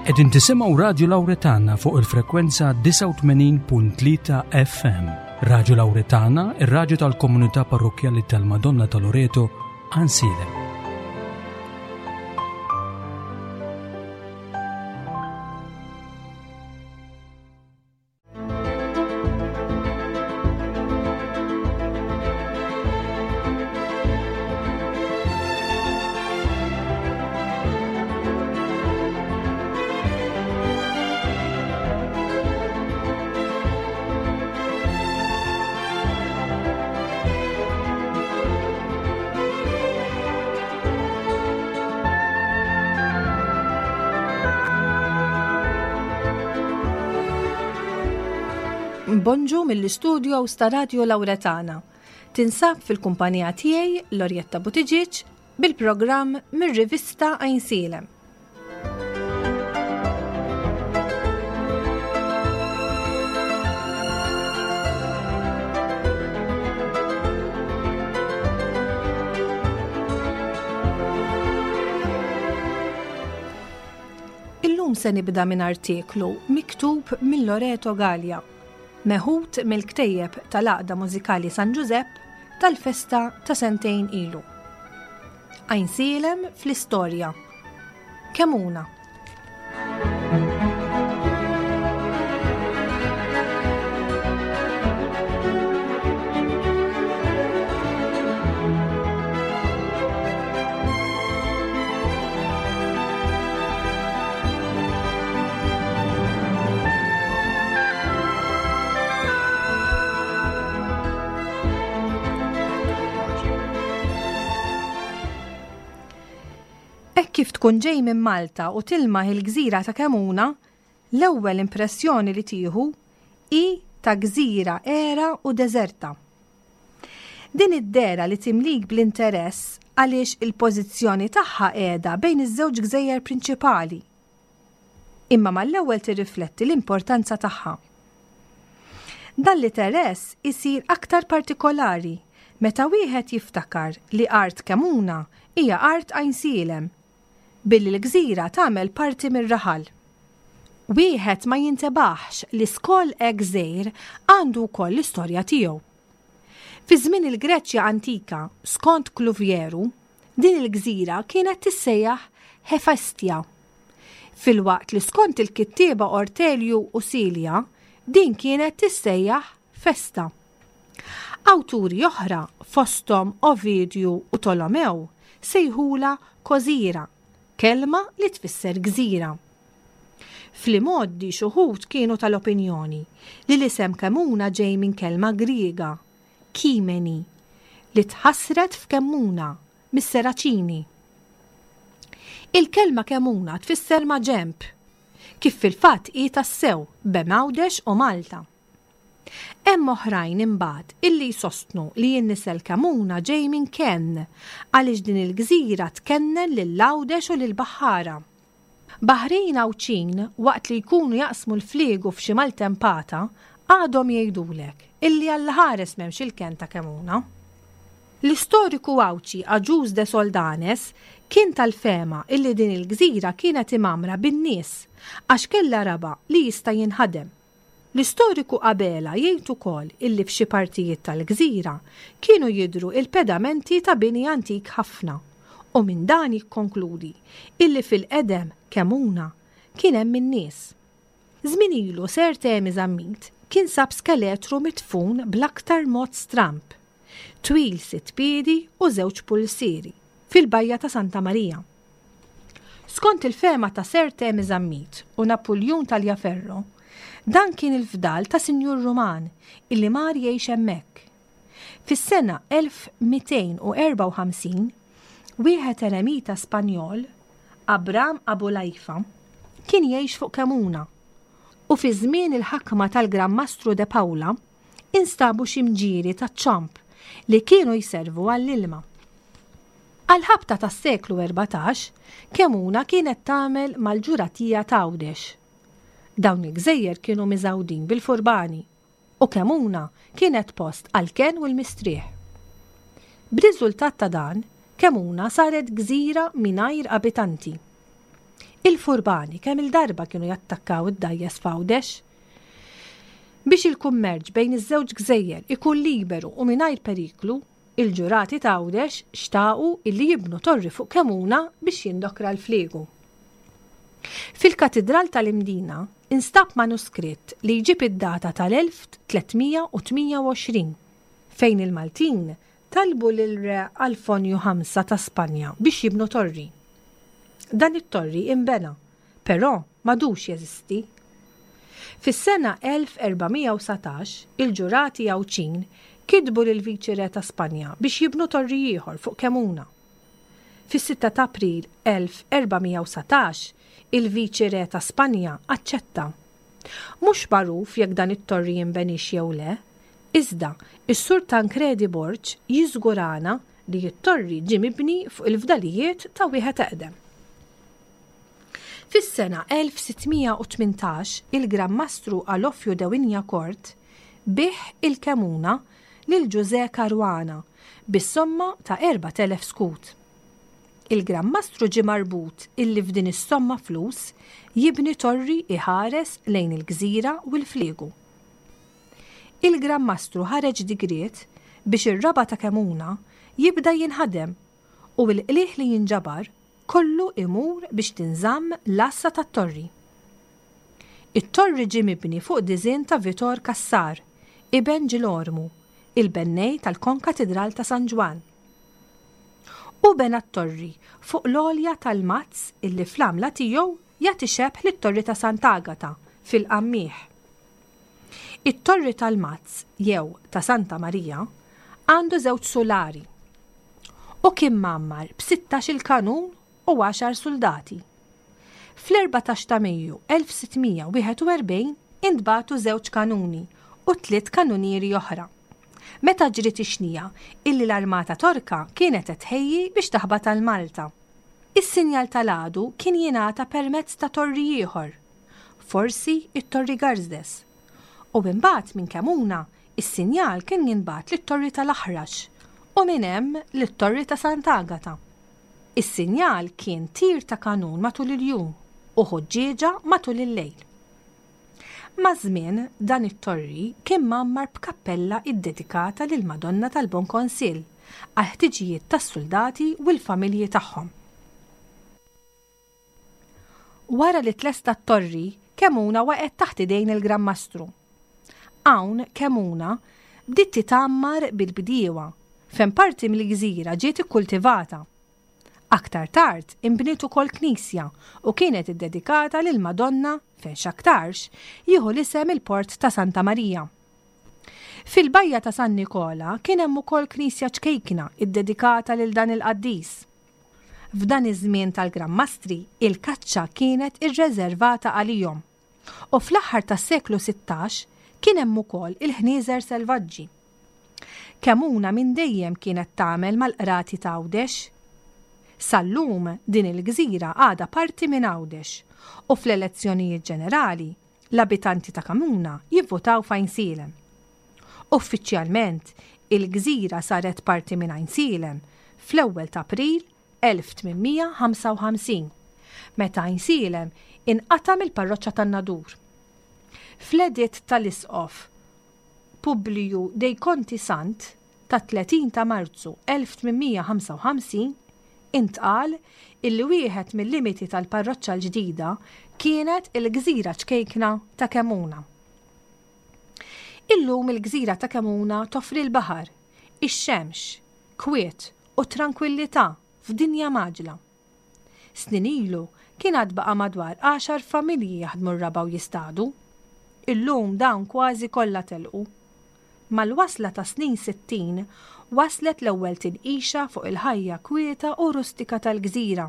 Qegħdin tisimgħu Radju Lawretana fuq il-frekwenza 89.3 FM. Radju Lawretana, ir-radju tal-komunità parrokkjali tal-Madonna ta' Loreto, Għansielem. Bonġu mill-istudios ta' Radio Lauretana. Tinsab fil-kumpanija tiegħi Lorjetta Buttigieg bil-programm mir-rivista Għajnsielem. Illum se nibda minn artiklu miktub minn Loreto Gallia, meħud mill-ktejjeb tal-Għaqda Mużikali San Ġużepp tal-festa ta' sentejn ilu. Għajnsielem fl-istorja. Kemuna. Hekk kif tkun ġej minn Malta u tilmaħ il-gżira ta' Kemuna, l-ewwel impressjoni li tieħu hi ta' gżira għera u deżerta. Din id-dehra li timlik bl-interess għaliex il-pożizzjoni tagħha qiegħda bejn iż-żewġ gżejjer prinċipali. Imma mal-ewwel tirrifletti l-importanza tagħha. Dan l-iteress isir aktar partikolari meta wieħed jiftakar li art Kemuna hija art Għajnsielem, billi l-gżira tagħmel parti mir-raħal. Wieħed ma jintebaħx li skoll hekk żgħir għandu wkoll l-istorja tiegħu. Fi żmien il-Greċja antika, skont Kluvjeru, din il-gżira kienet tissejjaħ Hefestia, filwaqt li skont il-kittieba Ortelju u Silja, din kienet tissejjaħ Festa. Awturi oħra, fosthom Ovidju u Tolomew, sejħulha Kozira, kelma li tfisser gżira. Fl-imgħoddi x'uħud kienu tal-opinjoni li l-isem Kemuna ġej minn kelma Griega, kimeni, li tħassret f'Kemmuna, mis-Seraċini. Il-kelma Kemuna tfisser maġenb, kif fil-fatt hi tassew bejn Għawdex u Malta. Hemm oħrajn imbagħad illi jsostnu li n-nisel Kemuna ġej minn Kenn għaliex din il-gżira tkennen lil Għawdex u lill-baħħara. Baħrin Għawdxin waqt li jkunu jaqsmu l-fliegu f'xi maltempata għadhom jgħidulek illi allaħares m'hemmx il-kenn ta' Kemuna. L-istoriku Għawdxi Agius de Soldanes kien tal-fehma illi din il-gżira kienet imgħammra bin-nies għax kellha raba' li jista' jinħadem. L-istoriku Abela jgħid ukoll illi f'xi partijiet tal-gżira kienu jidhru il-pedamenti ta' bini antik ħafna u minn dan jikkonkludi illi fil-qedem Kemuna kien hemm in-nies. Żmien ilu Sir Temi Zammit kien sab skeletru midfun bl-aktar mod stramb, twil sitt piedi u żewġ pulsieri, fil-bajja ta' Santa Marija. Skont il-fehma ta' Sir Temi Zammit u Napuljun Tagliaferro, dan kien il-fdal ta' sinjur Ruman illi mar jgħix hemmhekk. Fis-sena 1254, wieħed eremita Spanjol, Abram Abulaifa, kien jgħix fuq Kemuna u fi żmien il-ħakma tal-Gran Mastru de Paula instabu xi mġieri taċ-ċomb li kienu jservu għall-ilma. Għall-ħabta tas-seklu 14, Kemuna kienet tagħmel mal-ġuratija t'Għawdex. Dawn il-gżejjer kienu miżgħudin bil-furbani u Kemuna kienet post għall-kenn u l-mistrieħ. B'riżultat ta' dan, Kemuna saret gżira mingħajr abitanti. Il-furbani kemm-il darba kienu jattakkaw id-dgħajjes f'Għawdex. Biex il-kummerċ bejn iż-żewġ gżejjer ikun liberu u mingħajr periklu, il-ġurati t'Għawdex xtaqu illi jibnu torri fuq Kemuna biex jindokra l-fliegu. Fil-Katidral tal-Imdina instab manuskritt li jġib id-data tal-1328 fejn il-Maltin talbu lil Re Alfonju Ħamsa ta' Spanja biex jibnu torri. Dan it-torri inbena, però m'għadux jeżisti. Fis-sena 1419, il-ġurati Għawdxin kitbu lill-Viċi Re ta' Spanja biex jibnu torri ieħor fuq Kemuna. Fis-sitta ta' April 1419, il-Viċi Re ta' Spanja aċċetta. Mhux magħruf jekk dan it-torri jinbeniex jew le, iżda s-Sur Tancredi Borg jiżgurana li t-torri ġie mibni fuq il-fdalijiet ta' wieħed eqdem. Fis-sena 1618 il-Gran Mastru Alofju de Wignacourt biegħ il-Kemuna lil Ġużè Caruana bis-somma ta' 4,000 skud. Il-Gran Mastru ġie marbut illi f'din is-somma flus jibni torri iħares lejn il-gżira u l-fliegu. Il-Gran Mastru ħareġ digriet biex ir-raba' ta' Kemuna jibda jinħadem u l-qligħ li jinġabar kollu imur biex tinżamm l-għassa tat-torri. It-torri ġie mibni fuq diżinn ta' Vitor Cassar, iben Ġilormu, il-bennej tal-Konkatidral ta' San Ġwann. Hu bena t-torri fuq l-għolja tal-Mazz illi fl-għamla tiegħu jagħti xebh lit-Torri ta' Sant'Agata fil-Qammieħ. It-Torri tal-Mazz jew ta' Santa Marija għandu żewġ sulari u kien mgħammar b'sittax-il kanun u għaxar suldati. Fl-erbatax ta' Mejju 1641 intbagħtu żewġ kanuni u tliet kanunieri oħra. Meta ġriet ix-xnija illi l-armata Torka kienet qed tħejji biex taħbat għal Malta. Is-sinjal tal-għadu kien jingħata permezz ta' torri ieħor, forsi t-Torri Garzdes. U imbagħad minn Kemuna is-sinjal kien jinbagħat lit-Torri tal-Aħrax u minn hemm lit-Torri ta' Sant'Agata. Is-sinjal kien tir ta' kanun matul il-jum u ħuġġieġa matul il-lejl. Maż-żmien, dan it-torri kien mgħammar b'kappella ddedikata lill-Madonna tal-Bon Konsill għall-ħtiġijiet tas-suldati u l-familji tagħhom. Wara li tlesta t-torri, Kemuna waqgħet taħt idejn il-Gran Mastru. Hawn Kemuna bdiet titgħammar bil-bdiewa, fejn parti mill-gżira ġiet ikkultivata. Aktar tard inbniet ukoll knisja u kienet iddedikata lill-Madonna fejn x'aktarx jieħu l-isem il-Port ta' Santa Marija. Fil-bajja ta' San Nikola kien hemm ukoll knisja ċkejkna ddedikata lil dan il-qaddis. F'dan iż-żmien tal-Gran Mastri, il-kaċċa kienet irreżervata għalihom. U fl-aħħar tas-seklu 16 kien hemm ukoll il-ħnieżer selvaġġi. Kemuna minn dejjem kienet tagħmel mal-qrati t'Għawdex. Sal-lum din il-gżira għadha parti minn Għawdex u fl-elezzjonijiet ġenerali l-abitanti ta' Kemuna jivvutaw f'Għajnsielem. Uffiċjalment, il-gżira saret parti minn Għajnsielem fl-ewwel t'April 1855, meta Għajnsielem inqata' mill-parroċċa tan-Nadur. Fl-editt tal-Isqof Publiju dei Conti Sant tat-30 ta' Marzu 1855 intqal illi wieħed mil-limiti tal-parroċċa l-ġdida kienet il-gżira ċkejkna ta' Kemuna. Illum il-gżira ta' Kemuna toffri l-baħar, ix-xemx, kwiet u trankwillità f'dinja mgħaġġla. Snin ilu kien għad baqa' madwar għaxar familji jaħdmu r-raba' u jistadu. Illum dawn kważi kollha telqu. Mal-wasla tas-snin 60 waslet l-ewwel tinqixa fuq il-ħajja kwieta u rustika tal-gżira.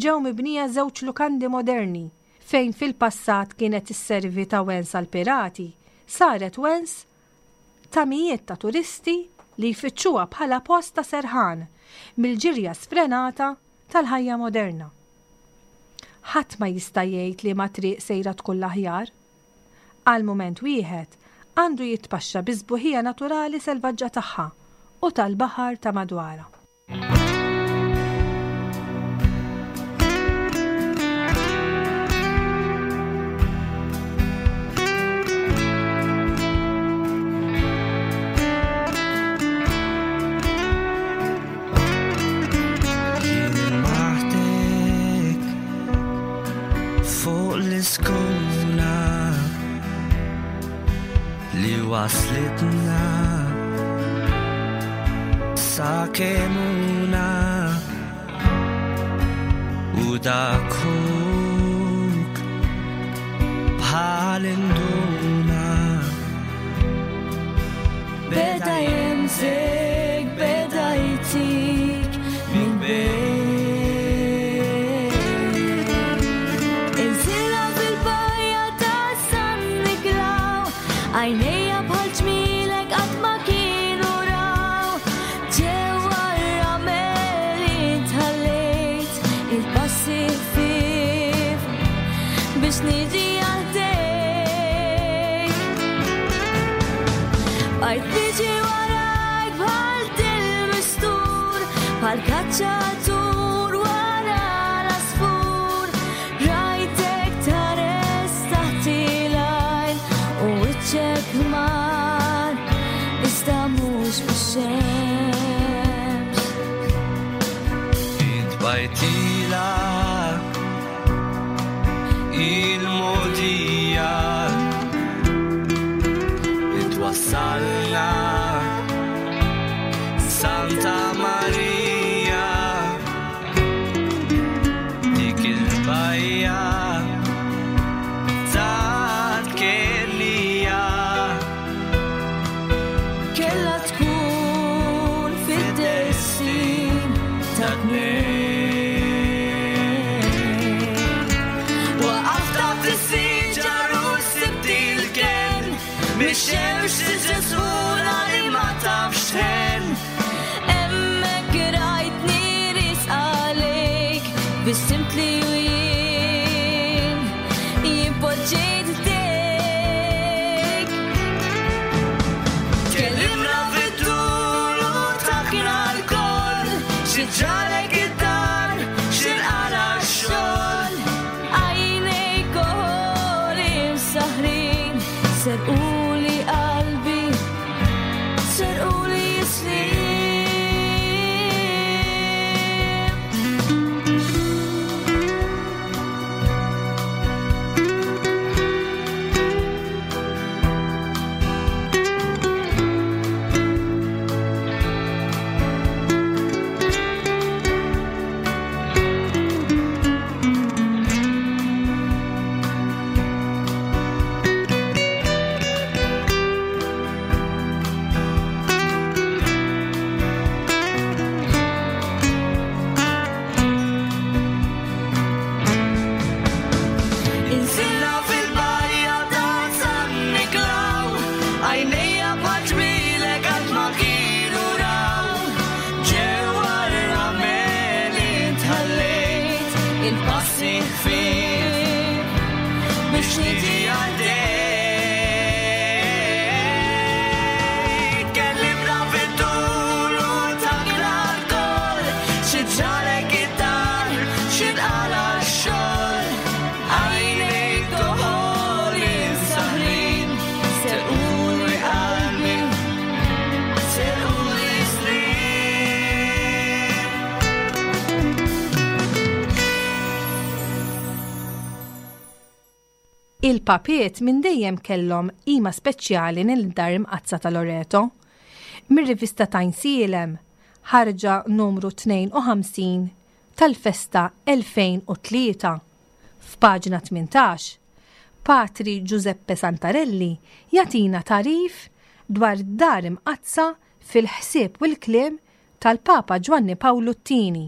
Ġew mibnija żewġ lukandi moderni fejn fil-passat kienet isservi ta' wens għall-pirati, saret wens ta' mijiet ta' turisti li jfittxuha bħala post ta' serħan mill-ġirja sfrenata tal-ħajja moderna. Ħadd ma jista' jgħid liema triq sejra tkun l-aħjar. Għal mument wieħed għandu jitpaxxa bis-sbuħija naturali selvaġġa tagħha u tal-baħar ta' madwarha. Waslitna sa Kemmuna u dak ħuk bħal induna. Beda jemsek, beda jtik minn bejn. Inżilha fil-bajja ta' San Niklaw, għajnejja bħal ġmielek qatt ma kienu raw. Ġewwa r-ramel intħallejt il-passi ħfief biex niġi għal ħdejk. Bqajt niġi warajk bħal dil-mistur, bħal kaċċatur wara l-asfur. Rajtek tħares taħt il-għajn u wiċċek ħmar, iżda mhux bix-xemx. Intbajtila il-mogħdija li twassalna Santa Maria, dik il-bajja ta' Kennija. Kella tkun fid-destin ta' tnejn. Waqaft taħt is-siġar u sibt il-kenn, mix-xemx Ġesù li ma tafx tħenn. Hemmhekk rajtni riesqa lejk, bissimt li u jien, jien poġġejt ħdejk. Tkellimna fit-tul u takna lkoll, xi ġralek id-dar, xi nqala x-xogħol. Għajnejk koħol imsaħrin, serquli qalbi, serquli snin. Inżilna fil-bajja ta' San Niklaw, għajnejja bħal ġmielek qatt ma kienu raw. Ġewwa r-ramel intħallejt, il-passi ħfief biex niġi għal ħdejk. Tkellimna fit-tul u takna lkoll, xi ġralek id-dar, xi nqala x-xogħol. Għajnejk toħol imsaħrin, serquli qalbi, serquli snin. Il-papiet minn dejjem kellhom qima speċjali lil-Dar Imqaddsa ta' Loreto. Mir-rivista Tajnsielem, ħarġa numru 52 tal-festa 2003, f'paġna 18, Patri Giuseppe Santarelli jagħtina tagħrif dwar d-Dar Imqaddsa fil-ħsieb u l-kliem tal-Papa Ġwanni Pawlu t-Tieni.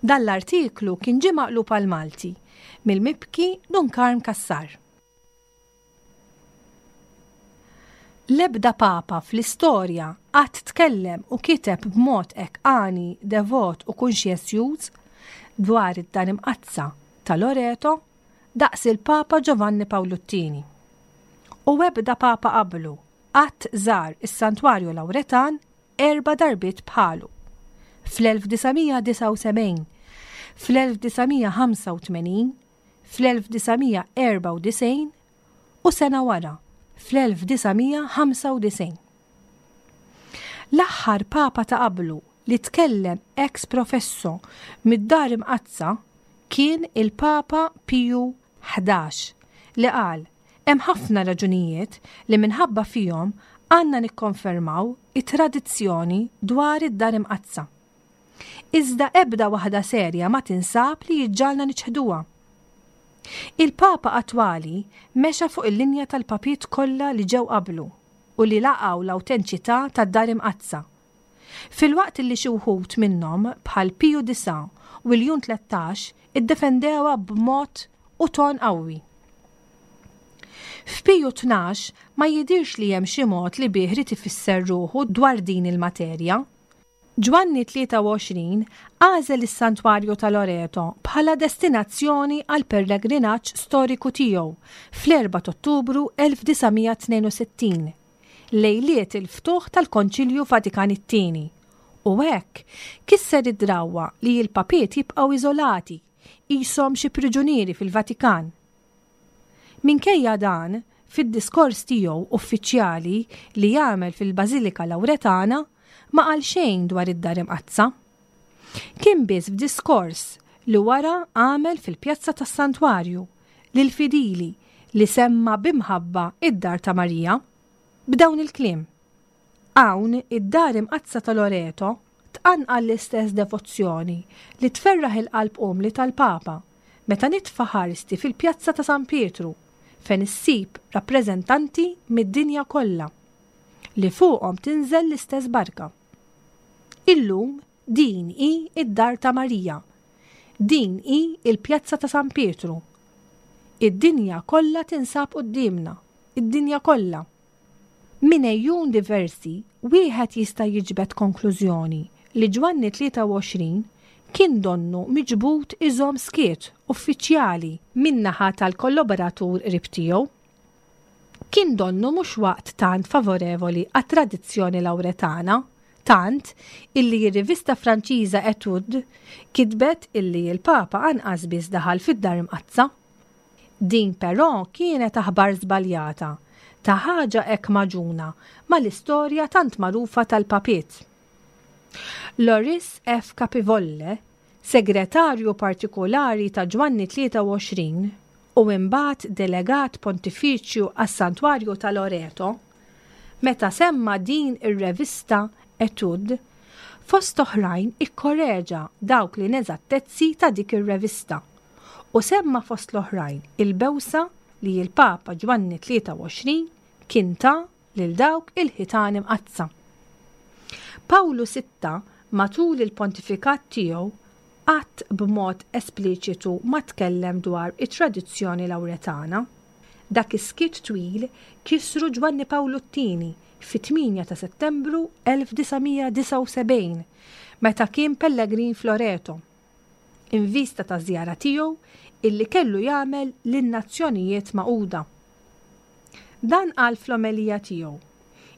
Dan l-artiklu kien ġie maqlub għall-Malti mill-mibki Dun Karm Cassar. L-ebda Papa fl-istorja qatt tkellem u kiteb b'mod hekk għani, devot u kunxjenzjuż dwar id-Dar Imqaddsa ta' Loreto daqs il-Papa Giovanni Pawlu t-Tieni. U ebda Papa qablu qatt żar is-Santwarju Lawretan erba' darbiet bħalu, fl-1979, fl-1985, fl-1994 u sena wara, fl-1995. L-aħħar Papa ta' qablu li tkellem ex professo mid-Dar Imqaddsa kien il-Papa Piju 11 li qal. Hemm ħafna raġunijiet li minħabba fihom għandna nikkonfermaw it-tradizzjoni dwar id-Dar Imqaddsa. Iżda ebda waħda serja ma tinsab li jġġagħalna niċħduha. Il-Papa attwali mexa fuq il-linja tal-Papiet kollha li ġew qablu u li laqgħu l-awtenċità tad-Dar Imqaddsa. Filwaqt li xi wħud minnhom bħal Piju Disgħa u Ljun 13 iddefendewha b'mod u ton qawwi. F'Piju 12 ma jidhirx li hemm xi mod li bih ried ifisser ruħu dwar din il-materja. Ġwanni 23 għażel is-Santwarju ta' Loreto bħala destinazzjoni għall-pellegrinaġġ storiku tiegħu fl-4 t'Ottubru 1962, lejliet il-ftuħ tal-Konċilju Vatikan it-Tieni, u hekk kisser id-drawwa li l-papiet jibqgħu iżolati, qishom xi priġunieri fil-Vatikan. Minkejja dan, fid-diskors tiegħu uffiċjali li għamel fil-Bażilika Lawretana, ma qal xejn dwar id-Dar Imqaddsa. Kien biss f'diskors li wara għamel fil-pjazza tas-Santwarju lill-fidili li semma bi mħabba d-Dar ta' Marija, b'dawn il-kliem, Hawn, id-Dar Imqaddsa ta' Loreto tqanqal l-istess devozzjoni li tferraħ il-qalb umli tal-Papa meta nitfa' ħarsti fil-Pjazza ta' San Pietru fejn issib rappreżentanti mid-dinja kollha li fuqhom tinżel l-istess barka. Illum din hi d-Dar ta' Marija. Din hi l-Pjazza ta' San Pietru. Id-dinja kollha tinsab quddiemna, id-dinja kollha. Minn għejun diversi, wieħed jista' jiġbed konklużjoni li Ġwanni 23 kien donnu miġbud iżomm skiet uffiċjali min-naħa tal-kollaboratur qrib tiegħu. Kien donnu mhux waqt tant favorevoli għat-tradizzjoni Lawretana, tant illi r-rivista Franċiża Etude kitbet illi l-Papa anqas biss daħal fid-Dar Imqaddsa. Din però kienet aħbar żbaljata ta' ħaġa hekk magħġuna mal-istorja tant magħrufa tal-papiet. Loris F. Capivolle, segretarju partikulari ta' Ġwanni 23 u imbagħad delegat pontifiċju għas-Santwarju ta' Loreto, meta semma din ir-revista Etude, fost oħrajn ikkoreġa dawk l-ineżattezzi ta' dik ir-revista u semma fost l-oħrajn il-bewsa li l-Papa Ġwanni 23 kien ta lil dawk il-ħitan imqaddsa. Pawlu Sitta matul il-pontifikat tiegħu qatt b'mod espliċitu ma tkellem dwar it-tradizzjoni Lawretana. Dak is-skiet twil kisru Ġwanni Pawlu t-Tieni fit-8 ta' Settembru 1979 meta kien pellegrin f'Loreto. in vista taż-żjara tiegħu illi kellu jagħmel lin-Nazzjonijiet Magħquda. Dan qal fl-omelija tiegħu,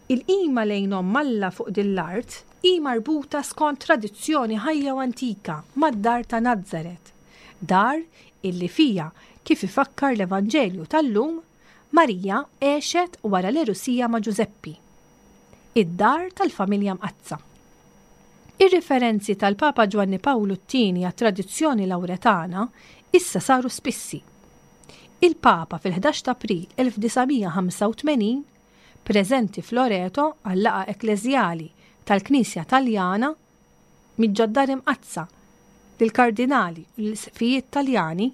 Il-qima lejn Omm Alla fuq din l-art hi marbuta skont tradizzjoni ħajja u antika mad-dar ta' Nazaret, dar illi fiha, kif ifakkar l-Evanġelju tal-lum, Marija għexet wara l-għerusija ma' Ġużeppi. Id-dar tal-Familja Mqaddsa. Ir-riferenzi tal-Papa Ġwanni Pawlu t-Tieni għat-tradizzjoni Lawretana issa saru spissi. Il-Papa fil-11 t'April 1985, preżenti f'Loreto għal-laqgħa ekkleżjali tal-Knisja Taljana, miġġa d-Dar Imqaddsa lill-Kardinali u lill-Isqfijiet Taljani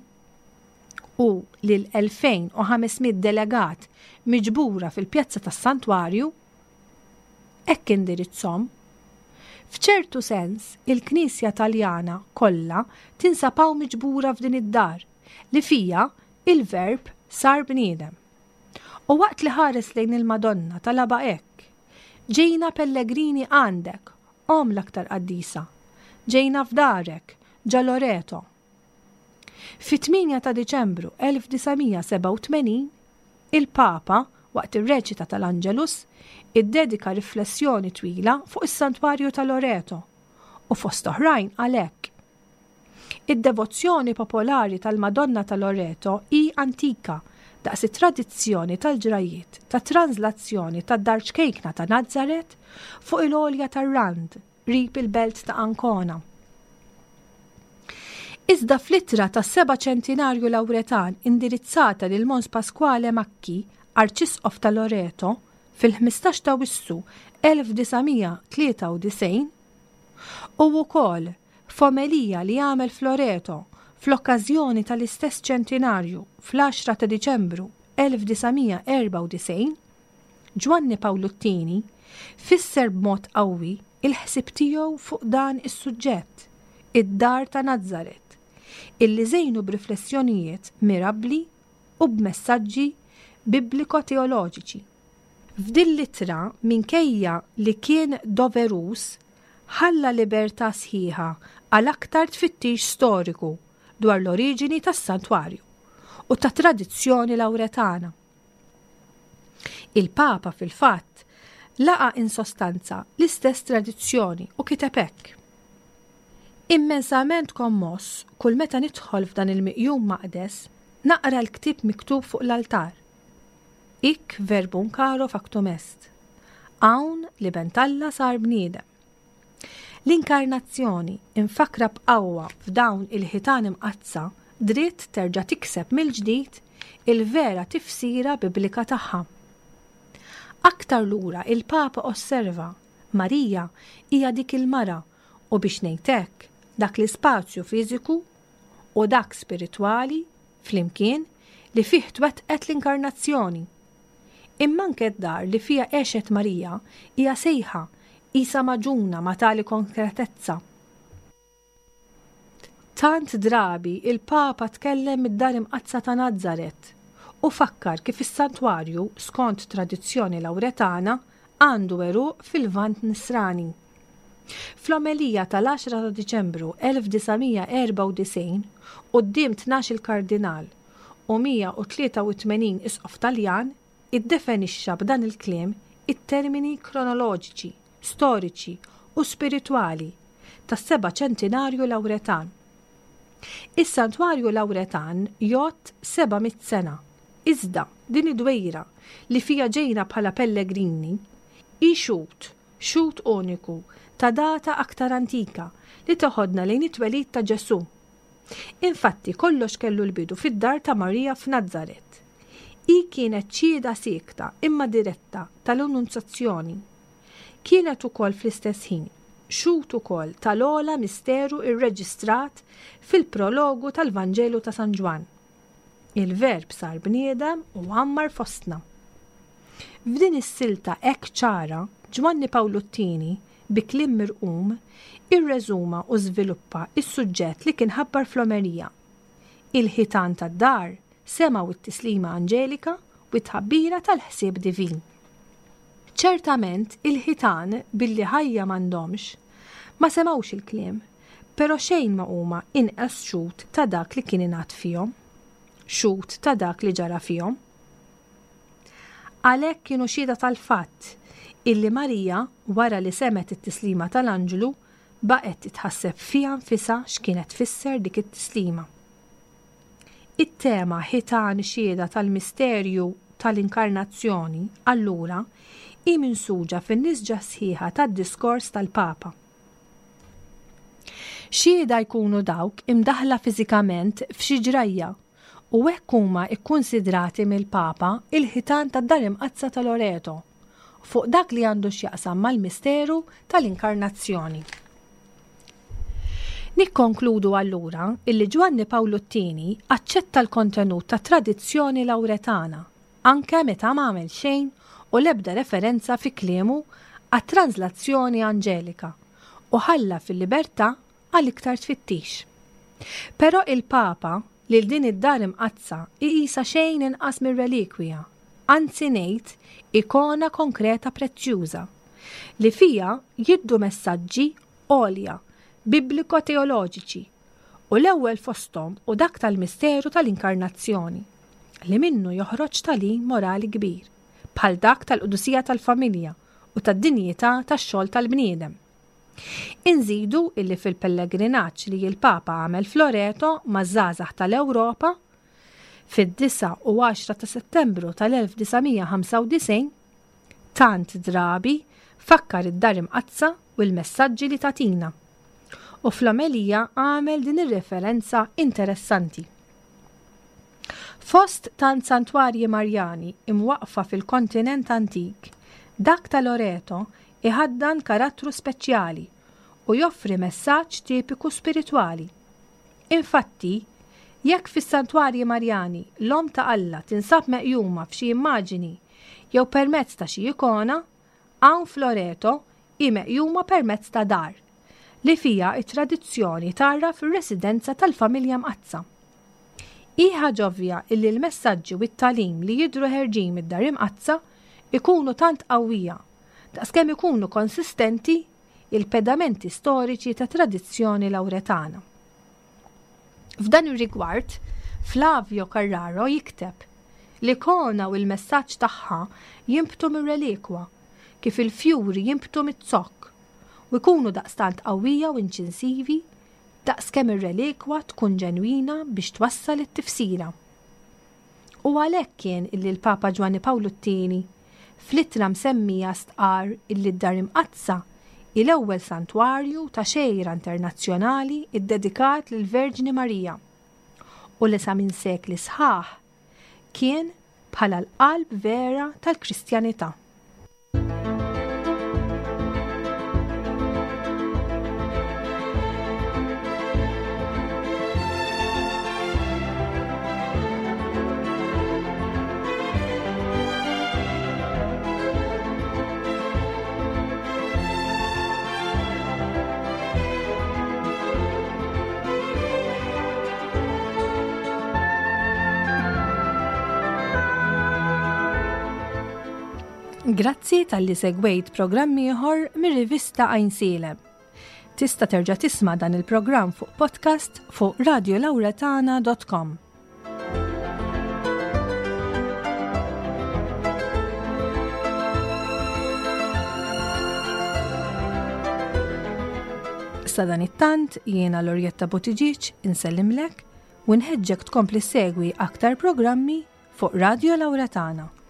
u lil 2,500 delegat miġbura fil-pjazza tas-Santwarju, Hekk indirizzhom. F'ċertu sens, il-Knisja Taljana kollha tinsab hawn miġbura f'din id-dar, li fiha il-Verb sar bniedem. U waqt li ħares lejn il-Madonna talabha hekk, Ġejna pellegrini għandek, Omm l-aktar qaddisa. Ġejna f'darek, ġa Loreto. Fit-8 ta' Diċembru 1987, il-Papa, waqt ir-reċita tal-Angelus, iddedika riflessjoni twila fuq is-Santwarju ta' Loreto u fost oħrajn qal hekk, Id-devozzjoni popolari tal-Madonna ta' Loreto hi antika daqs it-tradizzjoni tal-ġrajjiet tat-tranżlazzjoni tad-dar ċkejkna ta' Nazaret fuq il-għolja tar-Rand qrib il-belt ta' Ancona. Iżda fl-ittra tas-seba' ċentinarju Lawretan indirizzata lil Mons Pasquale Macchi, Arċisqof ta' Loreto, fil-15 ta' Wissu 1993, u wkoll f'omelija li għamel f'Loreto fl-okkażjoni tal-istess ċentinarju fl-10 ta' Diċembru 1994, Ġwanni Pawlu t-Tieni fisser b'mod qawwi il-ħsieb tiegħu fuq dan is-suġġett, id-dar ta' Nazaret, illi żejnu b'riflessjonijiet mirabbli u b'messaġġi bibliko-teoloġiċi. F'din l-ittra, minkejja li kien doveruż, ħalla libertà sħiħa għal aktar tfittix storiku dwar l-oriġini tas-santwarju u tat-tradizzjoni Lawretana. Il-Papa, fil-fatt, laqa' in sostanza l-istess tradizzjoni u kiteb hekk, Immensament kommoss kull meta nidħol f'dan il-miqjum maqdes naqra l-ktieb miktub fuq l-altar, Hic verbum caro factum est. Hawn l-Iben t'Alla sar bniedem. L-Inkarnazzjoni, imfakkra b'qawwa f'dawn il-ħitan imqaddsa, dritt terġa' tikseb mill-ġdid il-vera tifsira biblika tagħha. Aktar lura il-Papa osserva, Marija hija dik il-mara u biex ngħid hekk, dak l-ispazju fiżiku u dak spiritwali flimkien li fih twettqet l-Inkarnazzjoni. Imma anke d-dar li fiha għexet Marija hija sejħa qisha magħġuna ma' tali konkretezza. Tant drabi il-Papa tkellem mid-Dar Imqaddsa ta' Nazaret u fakkar kif is-santwarju, skont tradizzjoni Lawretana, għandu għeruq fil-Lvant Nisrani. Fl-omelija tal-10 ta' Diċembru 1994 quddiem tnax-il kardinal u 183 isqof Taljan iddefenixxa b'dan il-kliem it-termini kronoloġiċi, storiċi u spiritwali tas-seba' ċentinarju Lawretan. Is-Santwarju Lawretan jgħodd 700 sena, iżda din id-dwejra li fiha ġejna bħala pellegrini hi xhud, xhud uniku ta' data aktar antika li teħodna lejn it-twelid ta' Ġesù. Infatti, kollox kellu l-bidu fid-dar ta' Marija f'Nazaret. Hi kienet xhieda siekta imma diretta tal-Annunzjazzjoni. Kienet ukoll fl-istess ħin xhud ukoll tal-ogħla misteru rreġistrat fil-prologu tal-Vanġelu ta' San Ġwann. Il-Verb sar bniedem u għammar fostna. F'din is-silta hekk ċara, Ġwanni Pawlu t-Tieni bi kliem mirqum, irreżuma u żviluppa s-suġġett li kien ħabbar fl-omelija. Il-ħitan tad-dar semgħu t-tislima anġelika u t-tħabbira tal-ħsieb divin. Ċertament il-ħitan, billi ħajja m'għandhomx, ma semgħux il-kliem, però xejn ma huma inqas xhud ta' dak li kien ingħad fihom, xhud ta' dak li ġara fihom. Għalhekk kienu xhieda tal-fatt illi Marija, wara li semgħet it-tislima tal-anġlu, baqgħet titħasseb fiha nfisha x'kienet tfisser dik it-tislima. It-tema ħitan xhieda tal-misterju tal-Inkarnazzjoni, allura, hi minsuġa fin-nisġa sħiħa tad-diskors tal-Papa. Xhieda jkunu dawk imdaħħla fiżikament f'xi ġrajja u hekk huma kkunsidrati mill-Papa il-ħitan tad-Dar Imqaddsa ta' Loreto fuq dak li għandu x'jaqsam mal-misteru tal-Inkarnazzjoni. Nikkonkludu allura illi Ġwanni Pawlu t-Tieni aċċetta l-kontenut tat-tradizzjoni Lawretana anke meta m'għamel xejn u l-ebda referenza fi kliemu għat-tranżlazzjoni anġelika u ħalla fil-libertà għal iktar tfittix. Però il-Papa lil din id-dar imqaddsa iqisha xejn inqas mir-relikwija, anzi ngħid ikona konkreta prezzjuża, li fiha jiddu messaġġi għolja bibliko-teoloġiċi u l-ewwel fosthom hu dak tal-misteru tal-Inkarnazzjoni, li minnu joħroġ tagħlim morali kbir, bħal dak tal-qdusija tal-familja u tad-dinjità tax-xogħol tal-bniedem. Inżidu illi fil-pellegrinaġġ li l-Papa għamel f'Loreto maż-żgħażagħ tal-Ewropa, fid-9 u 10 ta' Settembru tal-1995, tant drabi fakkar id-Dar Imqaddsa u l-messaġġi li tagħtina. U fl-omelija għamel din ir-referenza interessanti. Fost tant santwarji Marjani imwaqqfa fil-kontinent antik, dak ta' Loreto iħaddan karattru speċjali u joffri messaġġ tipiku spiritwali. Infatti, jekk fis-santwarji Marjani l-Omm ta' Alla tinsab meqjuma f'xi immaġini jew permezz ta' xi ikona, hawn f'Loreto hi meqjuma permezz ta' dar, li fiha t-tradizzjoni tgħarraf ir-residenza tal-Familja Mqaddsa. Hi ħaġa ovvja illi l-messaġġi u t-tagħlim li jidhru ħerġin mid-Dar Imqaddsa jkunu tant qawwija, daqskemm ikunu konsistenti il-pedamenti storiċi tat-tradizzjoni Lawretana. F'dan ir-rigward, Flavio Carraro jikteb, L-ikona u l-messaġġ tagħha jinbtu mir-relikwa, kif il-fjuri jinbtu miz-zokk, u jkunu daqstant qawwija u inċinsivi daqs kemm ir-relikwa tkun ġenwina biex twassal it-tifsira. U għalhekk kien illi l-Papa Ġwanni Pawlu t-Tieni fl-ittra msemmija stqarr illi d-Dar Imqaddsa hi l-ewwel santwarju ta' xejra internazzjonali ddedikat lill-Verġni Marija u li sa minn sekli sħaħ kien bħala l-qalb vera tal-Kristjanità. Grazzi talli segwejt programm ieħor mir-rivista Għajnsielem. Tista' terġa' tisma' dan il-programm fuq podcast fuq radiolauretana.com. Sadanittant jiena Lorjetta Buttigieg insellimlek u nħeġġek tkompli segwi aktar programmi fuq Radio Lauretana.